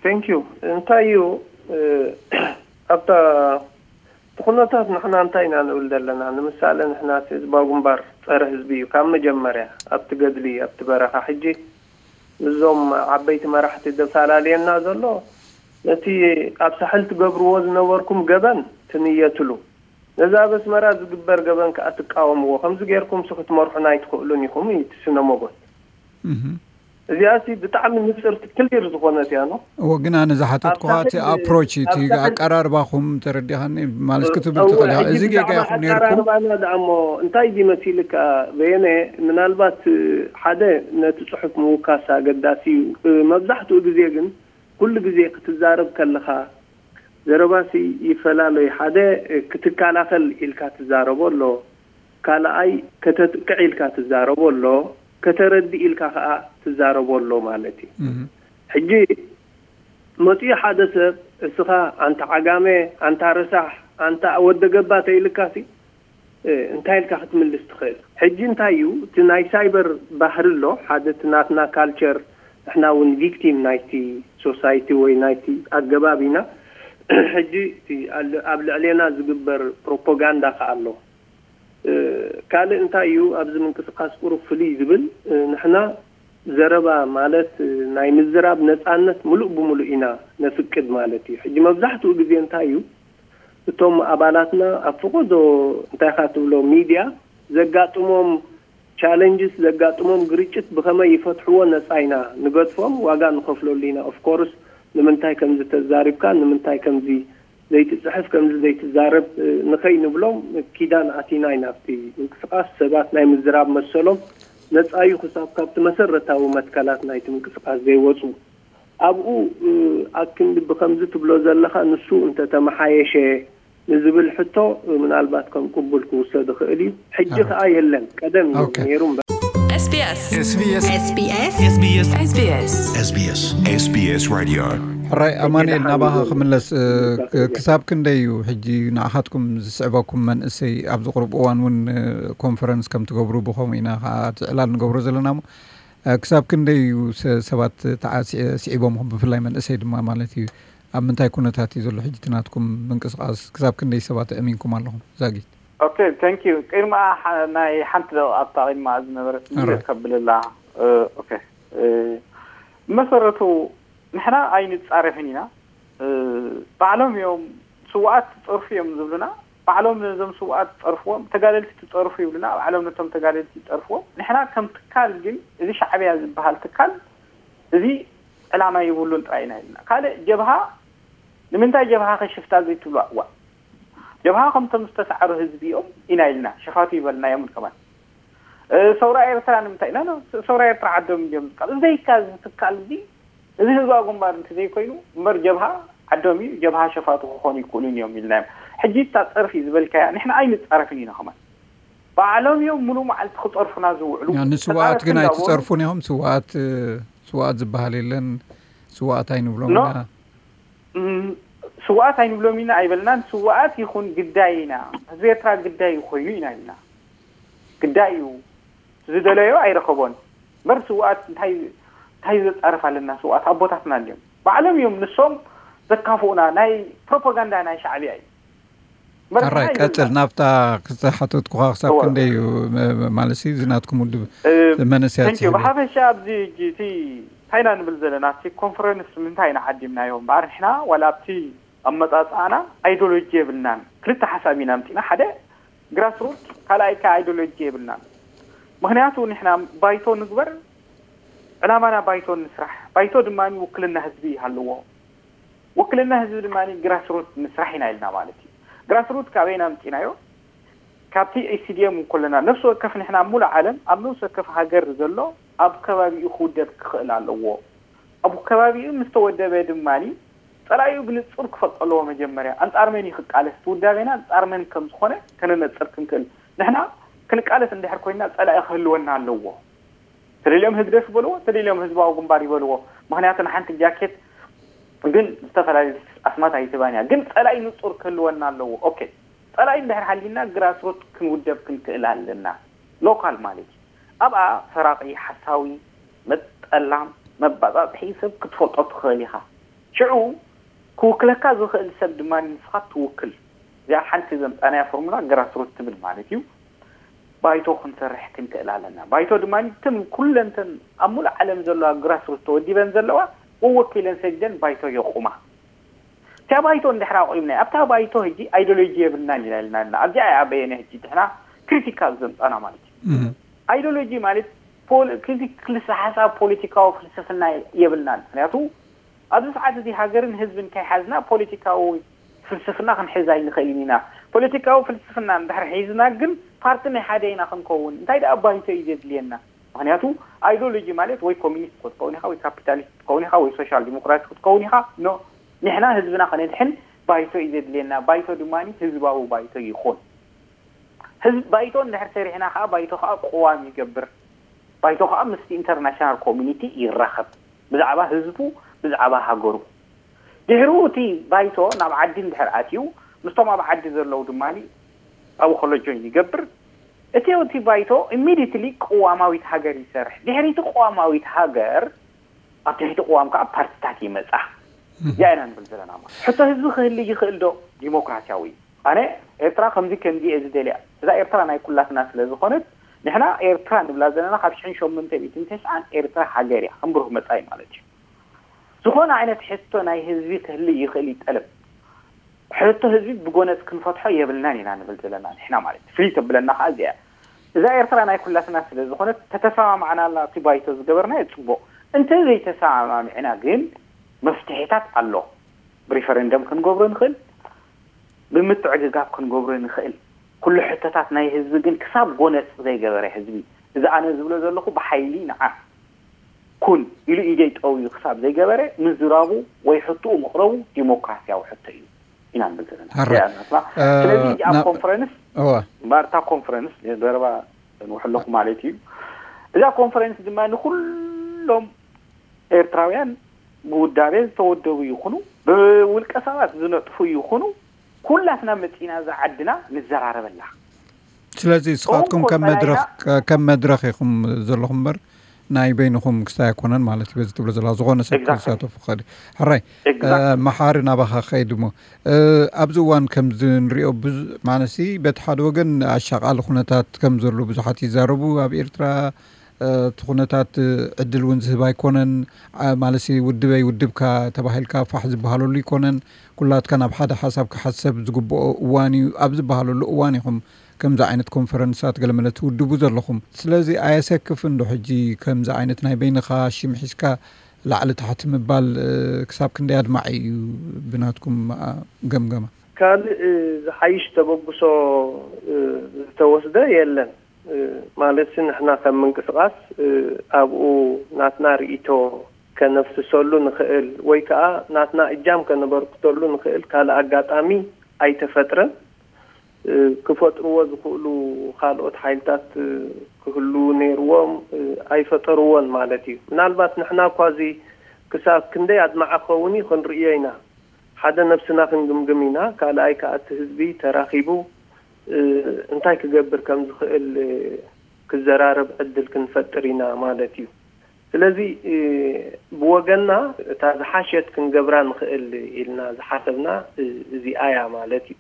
ቴንክ ዩ። እንታይ እዩ፣ እ፣ ኣብታ እቲ ኩነታት ንሕና እንታይ ኢና ንብል ዘለና? ንምሳሌ ንሕና እቲ ህዝባዊ ግንባር ጸረ ህዝቢ እዩ ካብ መጀመርያ ኣብቲ ገድሊ፣ ኣብቲ በረኻ። ሕጂ ምስዞም ዓበይቲ መራሕቲ ዘፈላለየና ዘሎ ነቲ ኣብ ሳሕል ትገብርዎ ዝነበርኩም ገበን ትንየትሉ፣ ነዚ ኣብ ኣስመራ ዝግበር ገበን ከኣ ትቃወምዎ። ከምዚ ጌርኩም ሲ ክትመርሑና ኣይትኽእሉን ኢኹም እዩ እቲ ስነ ሞጎት። እህም። እዚኣሲ ብጣዕሚ ንጽርቲ ክሊር ዝኾነት እያ፣ ኖ? እወ፣ ግን ኣነ ዝሓተትኩኻ ኣብታ እቲ ሕጂ፣ ኣፕሮች፣ እቲ ኣብታ ሕጂ ኣቀራርባኹም ተረዲኻኒ፣ ማለት ክትብል እወ፣ ትኽእል ኢኻ። ሕጂ እዚ ጌጋ ብዛዕባ ኢኹም ነይርኩም። ኣቀራርባና ደኣ እሞ እንታይ ድዩ መሲልካ በየነ፣ ምናልባት ሓደ ነቲ ጽሑፍ ምውካስ ኣገዳሲ እዩ። መብዛሕትኡ ግዜ ግን ኩሉ ግዜ ክትዛረብ ከለኻ ዘረባሲ ይፈላለ እዩ። ሓደ ክትከላኸል ኢልካ ትዛረቦ ኣሎ፣ ካልኣይ ከተጥቅዕ ኢልካ ትዛረቦ ኣሎ፣ ከተረድእ ኢልካ ከኣ ትዛረቦ ኣሎ ማለት እዩ። እህ። ሕጂ መጺኡ ሓደ ሰብ እስኻ ኣንታ ዓጋመ፣ ኣንታ ረሳሕ፣ ኣንታ ወደ ገባ ተኢልካሲ፣ እ፣ እንታይ ኢልካ ክትምልስ ትኽእል? ሕጂ እንታይ እዩ እቲ ናይ ሳይበር ባህሪ ኣሎ፣ ሓደ እቲ ናትና ካልቸር፣ ንሕና እውን ቪክቲም ናይቲ ሶሳይቲ ወይ ናይቲ ኣገባብ ኢና። ሕጂ እቲ ኣል-፣ ኣብ ልዕሌና ዝግበር ፕሮፓጋንዳ ከኣ ኣሎ። እ፣ ካልእ እንታይ እዩ ኣብዚ ምንቅስቃስ ቁሩብ ፍልይ ዝብል፣ እ፣ ንሕና ዘረባ ማለት፣ እ፣ ናይ ምዝራብ ነጻነት ምሉእ ብምሉእ ኢና ነፍቅድ ማለት እዩ። ሕጂ መብዛሕትኡ ግዜ እንታይ እዩ እቶም ኣባላትና ኣብ ፈቐዶ እንታይ ኢኻ ትብሎ ሚድያ ዘጋጥሞም ቻለንጅስ ዘጋጥሞም ግርጭት ብኸመይ ይፈትሕዎ ነፃ ኢና ንገድፎም፣ ዋጋ ንኸፍለሉ ኢና። ኦፍኮርስ ንምንታይ ከምዚ ተዛሪብካ፣ ንምንታይ ከምዚ ዘይትፅሕፍ፣ ከምዚ ዘይትዛረብ ንኸይንብሎም ኪዳን ኣቲና ኢና። ኣብቲ ምንቅስቃስ ሰባት ናይ ምዝራብ መሰሎም ነፃ እዩ፣ ክሳብ ካብቲ መሰረታዊ መትከላት ናይቲ ምንቅስቃስ ዘይወፁ። ኣብኡ ኣክንዲ ብከምዚ ትብሎ ዘለኻ ንሱ እንተተመሓየሸ ንዝብል ሕቶ ምናልባት ከም ቅቡል ክውሰድ ይኽእል እዩ። ሕጂ ከኣ የለን፣ ቀደም እዩ ነይሩ እምበር። SBS SBS SBS SBS SBS SBS SBS Radio። ሕራይ ኣማኑኤል፣ ናባኻ ክምለስ። ክሳብ ክንደይ እዩ ሕጂ ንኣኻትኩም ዝስዕበኩም መንእሰይ? ኣብዚ ቁሩብ እዋን እውን ኮንፈረንስ ከም ትገብሩ፣ ብኸምኡ ኢና ከዓ እቲ ዕላል ንገብሮ ዘለና እሞ፣ ክሳብ ክንደይ እዩ ሰባት ስዒቦም፣ ብፍላይ መንእሰይ ድማ ማለት እዩ? ኣብ ምንታይ ኩነታት እዩ ዘሎ ሕጂ እቲ ናትኩም ምንቅስቃስ? ክሳብ ክንደይ ሰባት ኣእሚንኩም ኣለኹም? ዛጊት። ኦኬ፣ ታንክ ዩ። ቅድሚ ናይ ሓንቲ ደቂቃ ኣብታ ቅድማ ዝነበረት ከብልላ። ኦኬ፣ መሰረቱ ንሕና ኣይንፃረፍን ኢና። ባዕሎም እዮም ስዋኣት ትፀርፉ እዮም ዝብሉና። ባዕሎም ነዞም ስውኣት ትፀርፍዎም፣ ተጋደልቲ ትፀርፉ ይብሉና። ባዕሎም ነቶም ተጋደልቲ ይፀርፍዎም። ንሕና ከም ትካል ግን እዚ ሻዕብያ ዝበሃል ትካል እዚ ዕላማ የብሉን ጥራይ ኢና ኢልና። ካልእ ጀብሃ ንምንታይ ጀብሃ ከሽፍታ ዘይትብሉ? እዋ ጀብሃ ከምቶም ዝተሳዕሩ ህዝቢ እዮም ኢና ኢልና ሸፋቱ ይበልናዮም። ከማን ሰውራ ኤርትራ ንምንታይ ኢና ሰውራ ኤርትራ ዓዶም እዮም ዝቃል ዘይካ ዝትካል እዚ እዚ ህዝባዊ ግንባር እንተ ዘይኮይኑ እምበር ጀብሃ ዓዶም እዩ፣ ጀብሃ ሸፋቱ ክኾኑ ይክእሉን እዮም ኢልናዮም። ሕጂ እታ ፀርፊ ዝበልካያ ንሕና ኣይንፃረፍን ኢና። ከማን ባዕሎም እዮም ሙሉ መዓልቲ ክፀርፉና ዝውዕሉ። ንስዋኣት ግን ኣይትፀርፉን ኢኹም። ስዋኣት ስዋኣት ዝበሃል የለን። ስዋኣት ኣይንብሎም ኢና። ስዋኣት ኣይንብሎም ኢና ኣይበልናን። ስዋኣት ይኹን ግዳይ ኢና፣ ህዝቢ ኤርትራ ግዳይ ኮይኑ ኢና ኢልና። ግዳይ እዩ። ዝደለዮ ኣይረኸቦን። እምበር ስውኣት እንታይ እንታይ ዘፃርፍ ኣለና? ስውኣት ኣቦታትና እንዲዮም፣ ባዕሎም እዮም ንሶም ዘካፍኡና። ናይ ፕሮፓጋንዳ ናይ ሻዕብያ እዩ። እምበር ኣራይ ንሕና ቀፅል። ኣይደልናን። ናብታ ክዝተሓተትኩኻ ክሳብ እወ። ክንደይ እዩ? መ- መ- ማለት ሲ እዚ ናትኩም ውድብ እ፣ መንእሰያት thank you። ዝህብ? ብሓፈሻ ኣብዚ ሕጂ እቲ እንታይ ኢና ንብል ዘለና? እቲ ኮንፈረንስ ንምንታይ ኢና ዓዲምናዮ? እምበኣር ንሕና ዋላ ኣብቲ ኣመፃፅኣና ኣይዲዮሎጂ የብልናን። ክልተ ሓሳብ ኢና ኣምፂና። ሓደ ግራስሩት፣ ካልኣይ ከዓ ኣይዲዮሎጂ የብልናን። ምክንያቱ ንሕና ባይቶ ንግበር፣ ዕላማና ባይቶ ንስራሕ። ባይቶ ድማ ውክልና ህዝቢ ይሃልዎ። ውክልና ህዝቢ ድማ ግራስሩት ንስራሕ ኢና ኢልና ማለት እዩ። ግራስሩት ካበይና ኣምፂናዮ? ካብቲ ኢሲዲኤም እንኮለና ነፍሲ ወከፍ ንሕና ኣብ ሙሉእ ዓለም ኣብ ነፍሲ ወከፍ ሃገር ዘሎ ኣብ ከባቢኡ ክውደብ ክኽእል ኣለዎ። ኣብ ከባቢኡ ምስ ተወደበ ድማ ጸላኢኡ ብንጹር ክፈልጦ ኣለዎ። መጀመርያ ኣንጻር መን እዩ ክቃለስ? እቲ ውዳቤና ኣንጻር መን ከም ዝኾነ ከነነጽር ክንክእል። ንሕና ክንቃለስ እንድሕር ኮይንና ጸላኢ ክህልወና ኣለዎ። ተደልዮም ህግደፍ ይበልዎ፣ ተደልዮም ህዝባዊ ግንባር ይበልዎ። ምኽንያቱ ንሓንቲ ጃኬት ግን ዝተፈላለዩ ኣስማት ኣይትባን እያ። ግን ጸላኢ ንጹር ክህልወና ኣለዎ። ኦኬ፣ ጸላኢ እንድሕር ሃሊና ግራስሩት ክንውደብ ክንክእል ኣለና። ሎካል ማለት እዩ። ኣብኣ ሰራቒ፣ ሓሳዊ፣ መጠላም፣ መባጻጽሒ ሰብ ክትፈልጦ ትኽእል ኢኻ። ሽዑ ክውክለካ ዝኽእል ሰብ ድማ ንስኻ ትውክል። እዚኣ ሓንቲ ዘምጻናያ ፎርሙላ ግራስሩት ትብል ማለት እዩ። ባይቶ ክንሰርሕ ክንክእል ኣለና። ባይቶ ድማ ትም ኩለንተን ኣብ ሙሉእ ዓለም ዘለዋ ግራስሩት ተወዲበን ዘለዋ ወወኪለን ሰዲደን ባይቶ የቑማ። እታ ባይቶ እንድሕር ኣቑምና ኣብታ ባይቶ ሕጂ ኣይዲዮሎጂ የብልናን ኢና ኢልና ኣለና። ኣብዚኣ እያ በየነ ሕጂ ንሕና ክሪቲካል ዘምጻና ማለት እዩ። እህ። ኣይዲዮሎጂ ማለት ፖል- ክልተ ሓሳብ ፖለቲካዊ ፍልስፍና የብልናን። ምክንያቱ ኣብዚ ሰዓት እዚ ሃገርን ህዝብን ከይሓዝና ፖለቲካዊ ፍልስፍና ክንሕዝ ኣይንኽእልን ኢና። ፖለቲካዊ ፍልስፍና እንድሕር ሒዝና ግን ፓርቲ ናይ ሓደ ኢና ክንከውን። እንታይ ደኣ ባይቶ እዩ ዘድልየና። ምክንያቱ ኣይዲዮሎጂ ማለት ወይ ኮሚኒስት ክትከውን ኢኻ ወይ ካፒታሊስት ክትከውን ኢኻ ወይ ሶሻል ዲሞክራት ክትከውን ኢኻ። ኖ፣ ንሕና ህዝብና ከነድሕን ባይቶ እዩ ዘድልየና። ባይቶ ድማ ህዝባዊ ባይቶ ይኹን። ህዝብ ባይቶ እንድሕር ሰሪሕና ከዓ ባይቶ ከዓ ቅዋም ይገብር። ባይቶ ከዓ ምስቲ ኢንተርናሽናል ኮሚኒቲ ይራኸብ ብዛዕባ ህዝቡ፣ ብዛዕባ ሃገሩ። ድሕሪኡ እቲ ባይቶ ናብ ዓዲ እንድሕር ኣትዩ ምስቶም ኣብ ዓዲ ዘለዉ ድማ ኣብኡ ከሎ ጆይን ይገብር። እቲ እቲ ባይቶ ኢሚዲትሊ ቅዋማዊት ሃገር ይሰርሕ። ድሕሪ እቲ ቅዋማዊት ሃገር ኣብ ትሕቲ ቅዋም ከዓ ፓርቲታት ይመፃ። እዚኣ ኢና ንብል ዘለና ማለት። ሕቶ ህዝቢ ክህሊ ይኽእል ዶ? ዲሞክራሲያዊ ኣነ ኤርትራ ከምዚ ከምዚ እየ ዝደልያ። እዛ ኤርትራ ናይ ኩላትና ስለ ዝኾነት ንሕና ኤርትራ ንብላ ዘለና ካብ ሽሕን ሸሞንተ ሚእትን ተስዓን ኤርትራ ሃገር እያ ከም ብሩህ መጻኢ ማለት እዩ። ዝኾነ ዓይነት ሕቶ ናይ ህዝቢ ክህሊ ይኽእል እዩ ጠለብ። ሕቶ ህዝቢ ብጎነጽ ክንፈትሖ የብልናን ኢና ንብል ዘለና ንሕና ማለት እዩ። ፍልይ ተብለና ከዓ እዚኣ እያ። እዛ ኤርትራ ናይ ኩላትና ስለ ዝኾነት ተተሰማማዕናላ እቲ ባይቶ ዝገበርናዮ ጽቡቕ። እንተ ዘይተሰማማሚዕና ግን መፍትሒታት ኣሎ። ብሪፈረንደም ክንገብሮ ንኽእል፣ ብምትዕግጋብ ክንገብሮ ንኽእል። ኩሉ ሕቶታት ናይ ህዝቢ ግን ክሳብ ጎነጽ ዘይገበረ ህዝቢ፣ እዚ ኣነ ዝብሎ ዘለኹ ብሓይሊ ንዓ ኩን ኢሉ ኢደይ ጠውዩ ክሳብ ዘይገበረ ምዝራቡ ወይ ሕቶኡ ምቕረቡ ዲሞክራሲያዊ ሕቶ እዩ ኢና ንብል ዘለና። ሕራይ። ስለዚ እዚኣ ኮንፈረንስ እዋ እምበኣር እታ ኮንፈረንስ ዘረባ ንውሕለኹ ማለት እዩ። እዛ ኮንፈረንስ ድማ ንኩሎም ኤርትራውያን ብውዳቤ ዝተወደቡ ይኹኑ ብውልቀ ሰባት ዝነጥፉ ይኹኑ ኩላትና መፂና እዛ ዓድና ንዘራረበላ። ስለዚ ንስኻትኩም እኮ ከም መድረኽ ጸላኢና- ከም መድረኽ ኢኹም ዘለኹም እምበር ናይ በይንኹም ክስታይ ኣይኮነን ማለት እዩ። በዚ ትብሎ ዘለኻ ዝኾነ ሰብ Exactly. ክሳተፉ ክኽእል እዩ። ሕራይ Exactly. እ፣ መሓሪ ናባኻ ክኸይድ እሞ እ፣ ኣብዚ እዋን ከምዚ ንሪኦ ብዙ ማለትሲ በቲ ሓደ ወገን ኣሻቓሊ ኩነታት ከም ዘሎ ብዙሓት ይዛረቡ ኣብ ኤርትራ እ፣ እቲ ኩነታት እ፣ ዕድል እውን ዝህብ ኣይኮነን። አ፣ ማለትሲ ውድበይ ውድብካ ተባሂልካ ፋሕ ዝበሃለሉ ኣይኮነን። ኩላትካ ናብ ሓደ ሓሳብ ክሓሰብ ዝግብኦ እዋን እዩ ኣብ ዝበሃለሉ እዋን ኢኹም ከምዚ ዓይነት ኮንፈረንሳት ገለመለ ትውድቡ ዘለኹም። ስለዚ ኣየሰክፍን ዶ ሕጂ ከምዚ ዓይነት ናይ በይንኻ ሽም ሒዝካ ላዕሊ ታሕቲ ምባል እ፣ ክሳብ ክንደይ ኣድማዒ እዩ ብናትኩም ኣ፣ ገምገማ? ካልእ እ፣ ዝሓይሽ ተበግሶ እ፣ ዝተወስደ የለን። እ፣ ማለትሲ ንሕና ከም ምንቅስቓስ እ፣ ኣብኡ ናትና ርእይቶ ከነፍስሰሉ ንኽእል ወይ ከዓ ናትና እጃም ከነበርክተሉ ንኽእል ካልእ ኣጋጣሚ ኣይተፈጥረን። እ፣ ክፈጥርዎ ዝኽእሉ ካልኦት ሓይልታት እ፣ ክህሉ ነይርዎም እ፣ ኣይፈጠርዎን ማለት እዩ። ምናልባት ንሕና እኳ እዚ ክሳብ ክንደይ ኣድማዒ ክኸውን እዩ ክንርእዮ ኢና። ሓደ ነብስና ክንግምግም ኢና። ካልኣይ ከዓ እቲ ህዝቢ ተራኺቡ እ፣ እንታይ ክገብር ከም ዝኽእል እ፣ ክዘራረብ ዕድል ክንፈጥር ኢና ማለት እዩ። ስለዚ እ፣ ብወገንና እታ ዝሓሸት ክንገብራ ንኽእል ኢልና ዝሓሰብና እ፣ እዚኣ እያ ማለት እዩ።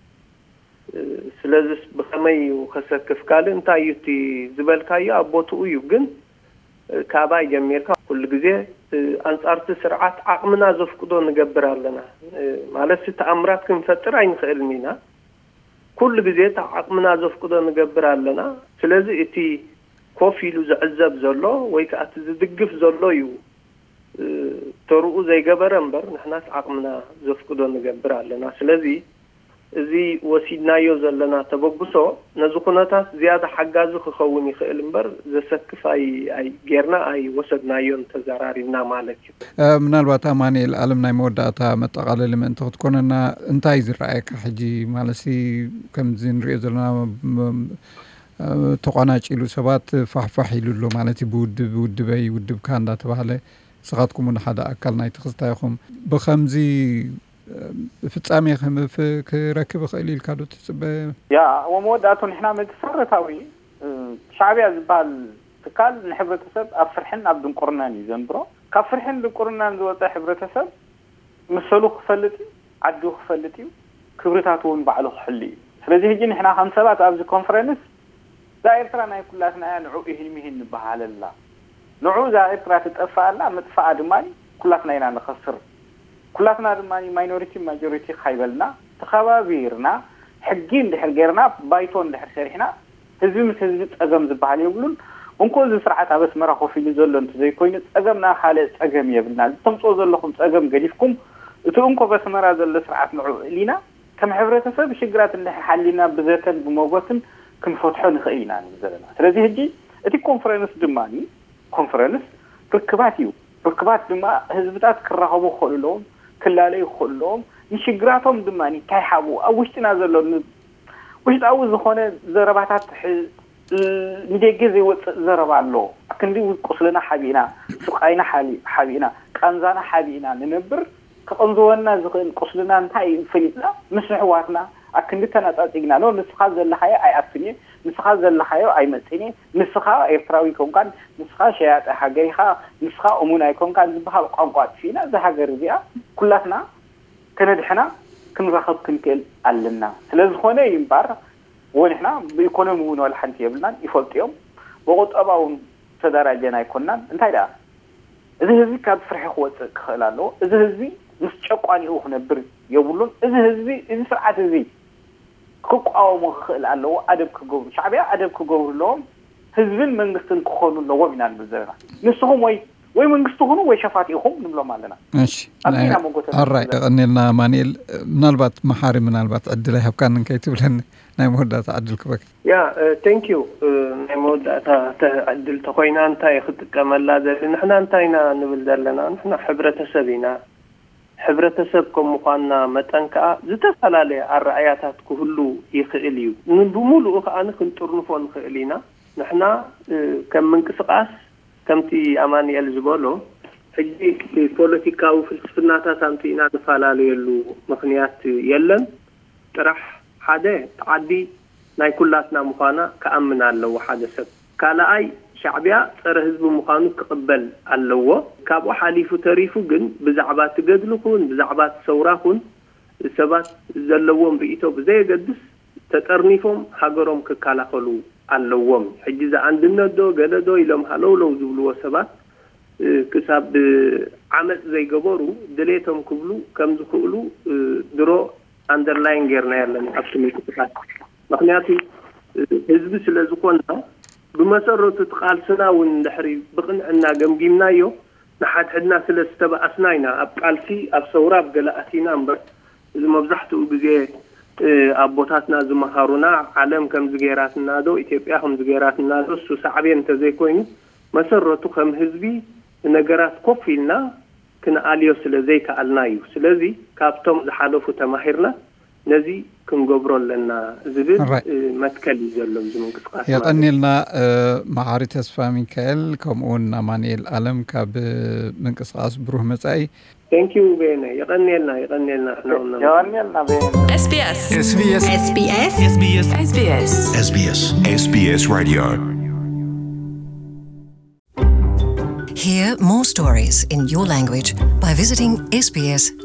እ፣ ስለዚስ ብኸመይ እዩ ከሰክፍ? ካልእ እንታይ እዩ እቲ ዝበልካዮ ኣብ ቦትኡ እዩ፣ ግን እ፣ ካባይ ጀሚርካ ኩሉ ግዜ እ፣ ኣንጻርቲ ስርዓት ዓቕምና ዘፍቅዶ ንገብር ኣለና። እ፣ ማለትሲ ተኣምራት ክንፈጥር ኣይንኽእልን ኢና። ኩሉ ግዜ እቲ ዓቕምና ዘፍቅዶ ንገብር ኣለና። ስለዚ እቲ ኮፍ ኢሉ ዝዕዘብ ዘሎ ወይ ከዓ እቲ ዝድግፍ ዘሎ እዩ እ፣ ተርኡ ዘይገበረ እምበር ንሕናስ ዓቕምና ዘፍቅዶ ንገብር ኣለና። ስለዚ እዚ ወሲድናዮ ዘለና ተበግሶ ነዚ ኩነታት ዝያዳ ሓጋዚ ክኸውን ይኽእል እምበር ዘሰክፍ ኣይ ኣይ ጌርና ኣይወሰድናዮን ተዘራሪብና ማለት እዩ። እ፣ ምናልባት ኣማኑኤል ኣለም ናይ መወዳእታ መጠቓለሊ ምእንቲ ክትኮነና እንታይ ዝረኣየካ ሕጂ ማለትሲ ከምዚ ንሪኦ ዘለና ም- እ፣ ተቋናጭሉ ሰባት ፋሕፋሕ ኢሉ ኣሎ ማለት እዩ። ብውድብ ውድበይ ውድብካ እንዳተባሃለ ንስኻትኩም እውን ሓደ ኣካል ናይቲ ክስታ ኢኹም። ብኸምዚ እ፣ ፍጻሜ ከም ፍ- ክረክብ ይኽእል ኢልካ ዶ ትጽበ? ያ እሞ መወዳእቱ ንሕና መሰረታዊ እ፣ ሻዕብያ ዝበሃል ትካል ንሕብረተሰብ ኣብ ፍርሕን ኣብ ድንቁርናን እዩ ዘንብሮ። ካብ ፍርሕን ድንቁርናን ዝወፀ ሕብረተሰብ መሰሉ ክፈልጥ እዩ፣ ዓዱ ክፈልጥ እዩ፣ ክብርታቱ እውን ባዕሉ ክሕሉ እዩ። ስለዚ ሕጂ ንሕና ከም ሰባት ኣብዚ ኮንፈረንስ እዛ ኤርትራ ናይ ኩላትና እያ፣ ንዑ ኢሂን ሚሂን ንበሃለላ፣ ንዑ እዛ ኤርትራ ትጠፍኣላ፣ ምጥፋኣ ድማ ኩላትና ኢና ንኸስር። ኩላትና ድማ ማይኖሪቲ ማጆሪቲ ካይበልና ተኸባቢርና ሕጊ እንድሕር ጌርና ባይቶ እንድሕር ሰሪሕና ህዝቢ ምስ ህዝቢ ጸገም ዝበሃል የብሉን። እንኮ እዚ ስርዓት ኣብ ኣስመራ ኮፍ ኢሉ ዘሎ እንተዘይኮይኑ ጸገምና ካልእ ጸገም የብልና። እዚ ተምጽኦ ዘለኹም ጸገም ገዲፍኩም እቲ እንኮ ኣብ ኣስመራ ዘሎ ስርዓት ንዑ እሊና ከም ሕብረተሰብ ሽግራት እንድሕር ሓሊና ብዘተን ብመጎትን ክንፈትሖ ንኽእል ኢና ንብል ዘለና። ስለዚ ሕጂ እቲ ኮንፈረንስ ድማ ኮንፈረንስ ርክባት እዩ። ርክባት ድማ ህዝብታት ክራኸቡ ክኽእሉ ኣለዎም፣ ክላለዩ ክኽእሉ ኣለዎም። ንሽግራቶም ድማ እንታይ ሓብኡ ኣብ ውሽጥና ዘሎ ን- ውሽጣዊ ዝኾነ ዘረባታት ሕ- ንደገ ዘይወፅእ ዘረባ ኣሎ። ክንዲ ቁስልና ሓቢእና፣ ስቃይና ሓሊ- ሓቢእና፣ ቃንዛና ሓቢእና ንነብር። ክቕንዝወና ዝኽእል ቁስልና እንታይ እዩ ፈሊጥና ምስ ኣሕዋትና ኣክንዲ ተነጻጺግና ኖ ንስኻ ዘለኻዮ ኣይኣቱን እየ፣ ንስኻ ዘለኻዮ ኣይመጽእን እየ፣ ንስኻ ኤርትራዊ ኣይኮንካን፣ ንስኻ ሸያጢ ሃገር ኢኻ፣ ንስኻ እሙን ኣይኮንካን ዝበሃል ቋንቋ ኣጥፊእና እዛ ሃገር እዚኣ ኩላትና ከነድሕና ክንራኸብ ክንክእል ኣለና። ስለ ዝኾነ እዩ እምበኣር ወ ንሕና ብኢኮኖሚ እውን ዋላ ሓንቲ የብልናን ይፈልጡ እዮም። ብቁጠባ እውን ተደራጀና ኣይኮንናን። እንታይ ደኣ እዚ ህዝቢ ካብ ፍርሒ ክወፅእ ክኽእል ኣለዎ። እዚ ህዝቢ ምስ ጨቋኒኡ ክነብር የብሉን። እዚ ህዝቢ እዚ ስርዓት እዚ ክቋወሞ ክኽእል ኣለዎ። ኣደብ ክገብሩ ሻዕቢያ ኣደብ ክገብሩ ኣለዎም። ህዝብን መንግስትን ክኾኑ ኣለዎም ኢና ንብል ዘለና። ንስኹም ወይ ወይ መንግስቲ ኹኑ ወይ ሸፋት ኢኹም ንብሎም ኣለና። እሺ፣ ኣብዚና ናይ- መጎተ ኣራይ፣ የቐንየልና ማንኤል። ምናልባት መሓሪ፣ ምናልባት ዕድል ኣይሃብካን እንከይትብለኒ ናይ መወዳእታ ዕድል ክበክ ያ ቴንክ ዩ። ናይ መወዳእታ ተ- ዕድል ተኮይና እንታይ ክጥቀመላ ዘለ? ንሕና እንታይ ኢና ንብል ዘለና? ንሕና ሕብረተሰብ ኢና። ሕብረተሰብ ከም ምኳንና መጠን ከዓ ዝተፈላለየ ኣረኣያታት ክህሉ ይኽእል እዩ። ን- ብምሉኡ ከዓ ክንጥርንፎ ንኽእል ኢና። ንሕና እ፣ ከም ምንቅስቃስ ከምቲ ኣማንኤል ዝበሎ ሕጂ ፖለቲካዊ ፍልስፍናታት ኣምፅእና ንፈላለየሉ ምክንያት የለን። ጥራሕ ሓደ፣ እቲ ዓዲ ናይ ኩላትና ምዃና ክኣምን ኣለዎ ሓደ ሰብ። ካልኣይ፣ ሻዕቢያ ፀረ ህዝቢ ምዃኑ ክቕበል ኣለዎ። ካብኡ ሓሊፉ ተሪፉ ግን ብዛዕባ እቲ ገድሊ ኹን ብዛዕባ እቲ ሰውራ ኹን ሰባት ዘለዎም ርእይቶ ብዘየገድስ ተጠርኒፎም ሃገሮም ክከላኸሉ ኣለዎም። ሕጂ ዝኣንድነት ዶ ገለ ዶ ኢሎም ሃለውለው ዝብልዎ ሰባት እ፣ ክሳብ ዓመፅ ዘይገበሩ ድሌቶም ክብሉ ከም ዝኽእሉ እ፣ ድሮ ኣንደርላይን ጌርና ያለን ኣብቲ ምንቅስቃስ። ምክንያቱ እ፣ ህዝቢ ስለ ዝኾንና ብመሰረቱ እቲ ቃልስና እውን ድሕሪ ብቕንዕና ገምጊምናዮ ንሓድሕድና ስለ ዝተባኣስና ኢና ኣብ ቃልሲ ኣብ ሰውራ ኣብ ገለ ኣቲና እምበር እዚ መብዛሕትኡ ግዜ እ፣ ኣቦታትና ዝመሃሩና ዓለም ከምዚ ገይራትና ዶ ኢትዮጵያ ከምዚ ገይራትና ዶ እሱ ሳዕቤን እንተዘይኮይኑ መሰረቱ ከም ህዝቢ ነገራት ኮፍ ኢልና ክንኣልዮ ስለ ዘይከኣልና እዩ። ስለዚ ካብቶም ዝሓለፉ ተማሂርና ነዚ ክንገብሮ ኣለና ዝብል Alright. እ፣ መትከል እዩ ዘሎ እዚ ምንቅስቃስ ማለት። የቐንየልና እ፣ መሓሪ ተስፋ ሚካኤል ከምኡውን ኣማንኤል ኣለም ካብ እ፣ ምንቅስቃስ ብሩህ መጻኢ። ቴንክ ዩ ቤነ። የቐንየልና፣ የቐንየልና። ንሕና እውን የቐንየልና ቤነ። SBS SBS SBS SBS SBS Radio. Hear more stories in your language by visiting sbs.com.au.